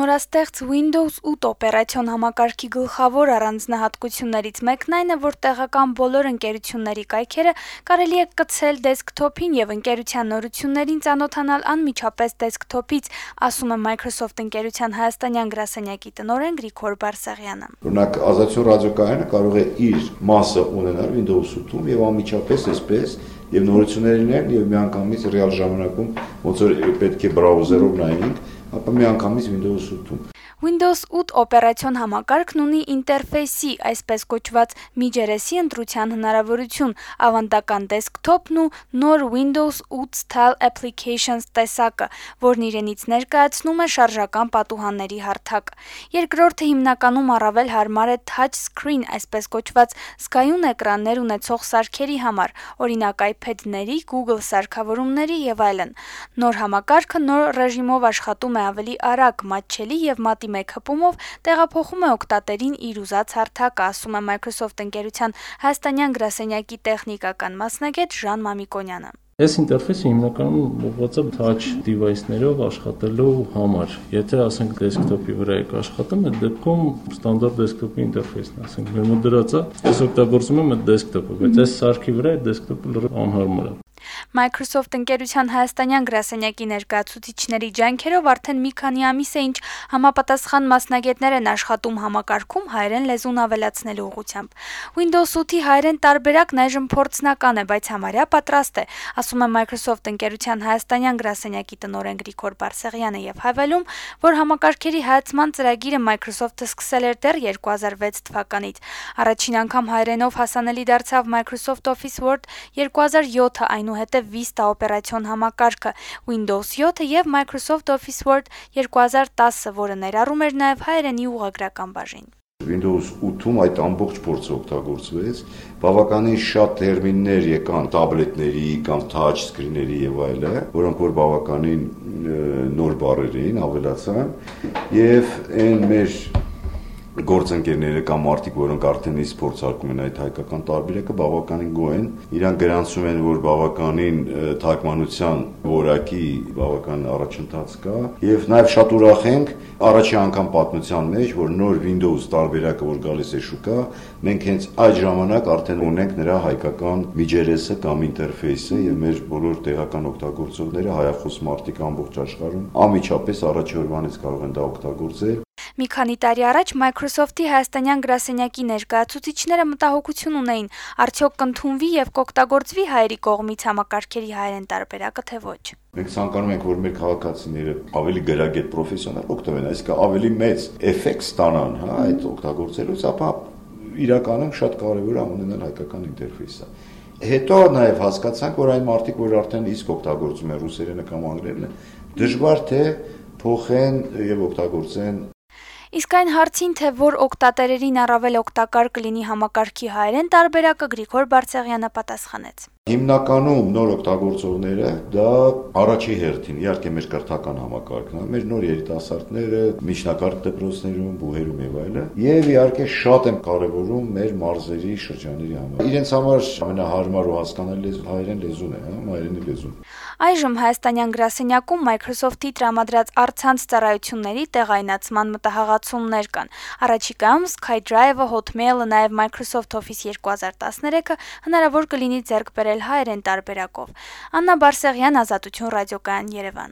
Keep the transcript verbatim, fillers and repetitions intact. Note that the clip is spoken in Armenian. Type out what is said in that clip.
Նորաստեղծ Windows ութ օպերացիոն համակարգի գլխավոր առանձնահատկություններից մեկն այն է, որ տեղական բոլոր ընկերությունների կայքերը կարելի է կցել դեսքթոփին եւ ընկերության նորություններին ծանոթանալ անմիջապես դեսքթոփից, ասում է Microsoft ընկերության հայաստանյան գրասենյակի տնօրեն Գրիգոր Բարսեղյանը։ Օրինակ, ազատություն ռադիոկայանը կարող է իր մասը ունենալ Windows ութում եւ անմիջապես այսպես եւ նորություններին եւ միանգամից ռեալ ժամանակում ոնց որ պետք է բրաուզերով նայենք, ապա միանգամից Windows ութում։ Windows ութ օպերացիոն համակարգն ունի ինտերֆեյսի, այսպես կոչված միջերեսի ընտրության հնարավորություն, ավանդական դեսքթոփն ու նոր Windows ութ Style Applications տեսակը, որն իրենից ներկայացնում է շարժական պատուհանների հարթակ։ Երկրորդը հիմնականում առավել հարմար է touch screen, այսպես կոչված զգայուն էկրաններ ունեցող սարքերի համար, օրինակ iPad-ների, Google սարքավորումների եւ այլն։ Նոր համակարգը նոր ռեժիմով աշխատում է ավելի արագ, մատչելի եւ մատի մեկ հպումով տեղափոխում է օգտատերին իր ուզած հարթակը, ասում է Microsoft ընկերության հայաստանյան գրասենյակի տեխնիկական մասնագետ Ժան Մամիկոնյանը։ Այս ինտերֆեյսը հիմնականում ուղղված է touch device-ներով աշխատելու համար։ Եթե ասենք դեսքթոփի վրա եք աշխատում, այդ դեպքում ստանդարտ դեսքթոփի ինտերֆեյսն է, ասենք մեր մոտ դրած է, ես օգտագործում եմ այդ դեսքթոփը, բայց այս սարքի վրա այդ դեսքթոփը լրիվ անհարմար է։ Microsoft ընկերության հայաստանյան գրասենյակի ներկայացուցիչների ջանքերով արդեն մի քանի ամիս է, ինչ համապատասխան մասնագետներ են աշխատում համակարգում հայերեն լեզուն ավելացնելու ուղղությամբ։ Windows ութի հայերեն տարբերակն այժմ փորձնական է, բայց համարյա պատրաստ է, ասում է Microsoft ընկերության հայաստանյան գրասենյակի տնօրեն Գրիգոր Բարսեղյանը եւ հավելում, որ համակարգերի հայացման ծրագիրը Microsoft-ը սկսել էր դեռ երկու հազար վեց թվականից։ Առաջին անգամ հայերենով հասանելի դարձավ Microsoft Office Word երկու հազար յոթը, այնուհետև Vista օպերացիոն համակարգը, Windows յոթը եւ Microsoft Office Word երկու հազար տասը, որը ներառում էր նաեւ հայերենի ուղղագրական բաժին։ Windows ութում այդ ամբողջ փորձը օգտագործվեց, բավականին շատ տերմիններ եկան տաբլետների կամ touch screen-ների եւ այլը, որոնք որ բավականին նոր բառեր էին, ավելացան, եւ այն մեր գործընկերները կամ մարդիկ, որոնք արդեն իսկ փորձարկում են այդ հայկական տարբերակը, բավականին գոհ են, իրան գրանցում են, որ բավականին թարգմանության որակի բավական առաջընթաց կա, եւ նաեւ շատ ուրախ ենք առաջի անգամ պատմության մեջ, որ նոր Windows տարբերակը, որ գալիս է շուկա, մենք հենց այդ ժամանակ արդեն ունենք նրա հայկական միջերեսը կամ ինտերֆեյսը եւ մեր բոլոր տեղական օգտագործողները, հայախոս մարդիկ ամբողջ աշխարհում անմիջապես առաջի օրվանից կարող են դա օգտագործել։ Մի քանի տարի առաջ Microsoft-ի հայաստանյան գրասենյակի ներկայացուցիչները մտահոգություն ունեին, արդյոք կընդունվի եւ կօգտագործվի հայերի կողմից համակարգերի հայերեն տարբերակը, թե ոչ։ Մենք ցանկանում ենք, որ մեր քաղաքացիները ավելի գրագետ պրոֆեսիոնալ օգտվեն, այսինքն ավելի մեծ էֆեկտ ստանան, հա, այդ օգտագործելուց, ապա իրականում շատ կարեւոր է ունենալ հայկական ինտերֆեյսը։ Հետո նաեւ հասկացանք, որ այն մարդիկ, որ արդեն իսկ օգտագործում են ռուսերենը կամ անգլերենը, դժվար թե փոխեն եւ օգտագործեն։ Իսկ այն հարցին, թե որ օգտատերերին առավել օգտակար կլինի համակարգի հայերեն տարբերակը, Գրիգոր Բարսեղյանը պատասխանեց։ Հիմնականում նոր օգտագործողները դա առաջի հերթին, իհարկե մեր կրթական համակարգն է, մեր նոր երիտասարդները, միջնակարգ դպրոցներում, բուհերում եւ այլն, եւ իհարկե շատ են կարեւորում մեր մարզերի շրջանների համար։ Իրենց համար ամենահարմար ու հասկանալի լեզուն հայերեն լեզուն է, հա, հայերենի լեզուն։ Այժմ հայաստանյան գրասենյակում Microsoft-ի տրամադրած առցանց ծառայությունների տեղայնացման մտահղացումներ կան։ Առաջիկայում SkyDrive-ը, Hotmail-ը, նաեւ Microsoft Office երկու հազար տասներեքը հնարավոր կլինի ձեռք բերել հայերեն տարբերակով։ Աննա Բարսեղյան, Ազատություն ռադիոկայան, Երևան։